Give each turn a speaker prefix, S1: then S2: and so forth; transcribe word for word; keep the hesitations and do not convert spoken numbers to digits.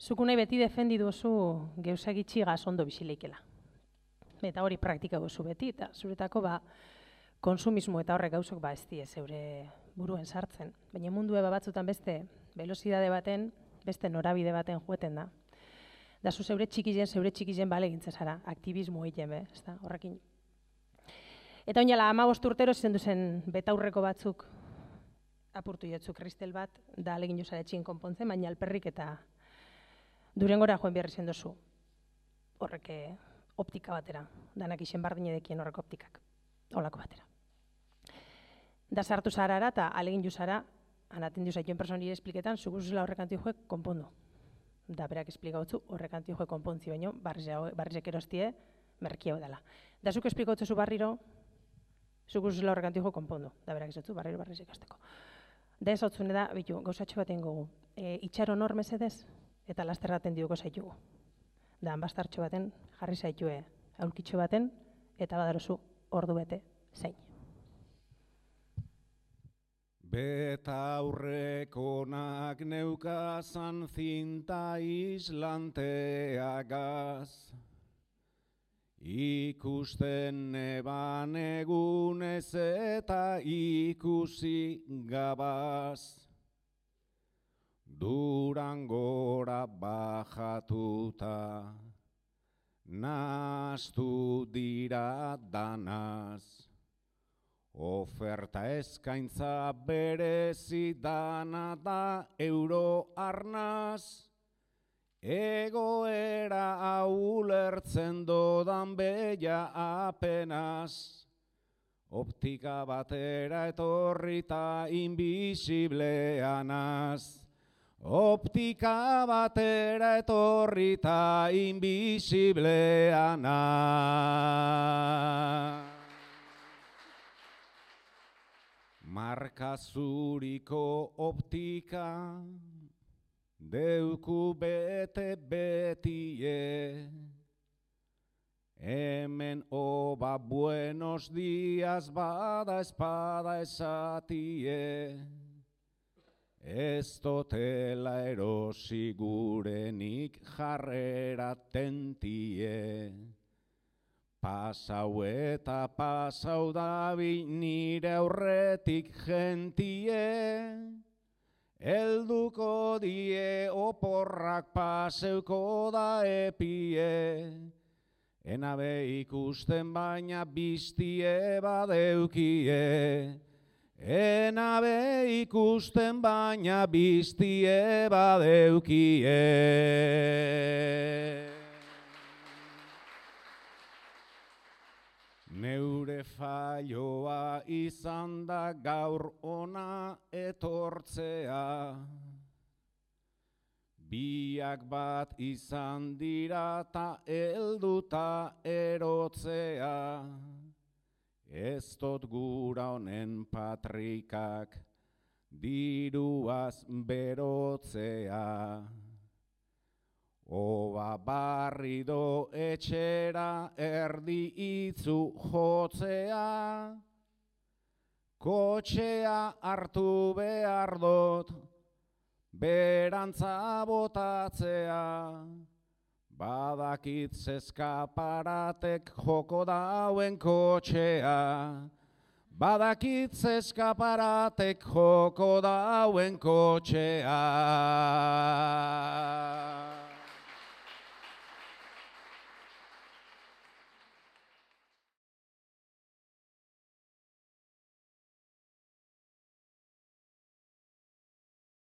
S1: Zuku nahi beti defendi duzu geusagitxigaz ondo bizileikela. Eta hori praktika duzu beti, eta zuretako ba, konsumismo eta horrek gauzok ba ez die zeure buruen sartzen. Baina mundu eba batzutan beste velozidade baten, beste norabide baten joeten da. Da zu zeure txikizen, zeure txikizen bale gintzen zara, aktivismo egiten be, ez da, horrekin. Eta oinala hamabost urtero zen duzen betaurreko batzuk apurtu jotzuk kristel bat, da alegin jozara etxin konpontzen, baina alperrik eta Durengora joen behar izan duzu. Horrek optika batera, danak isen bardine dekien horrek optikak, holako batera. Da sartu zarara eta alegin juzara, anaten duzaituen personire espliketan, zuguzela horrek anti joek konpondu. Da berak esplikautzu horrek anti joek konpontzi baino, barrizek erostie, merkia dela. Da zuk esplikautzu barriro, zuguzela horrek anti joek konpondu. Da berak izatzu barriro barrizek azteko. Da ez hau zune da, bitu, gauzatxo bat ingogu. E, itxaron hor mesedez, eta lasterraten diuko zaitugu. Da, bastartxo baten jarri zaitue aurkitxo baten, eta badarozu ordu bete zein.
S2: Betaurrekonak neukazan zinta islanteagaz, ikusten neban egunez eta ikusi gabaz. Durangora bajatuta, nahastu dira danaz. Oferta eskaintza berezi dana da euro arnaz. Egoera aulertzen dodan bella apenas. Optika batera etorrita invisibleanaz. Optika batera etorrita invisibleana. Marka zuriko optika deuku bete betie. Hemen oba buenos días bada espada esatie. Ez dotela erosi gurenik jarrera tentie. Pasau eta pasau dabi nire aurretik gentie. Helduko die oporrak paseuko da epie. Enabe ikusten baina biztie badeukie. Enabe ikusten baina biztie badeukie. Neure falloa izan da gaur ona etortzea. Biak bat izan dira ta helduta erotzea. Ez dut gura honen patrikak diruaz berotzea. Oba barrido etxera erdi itzu jotzea. Kotxea hartu behar dut berantza botatzea. Badakit zeskaparatek joko dauen kotxea. Badakit zeskaparatek joko dauen kotxea.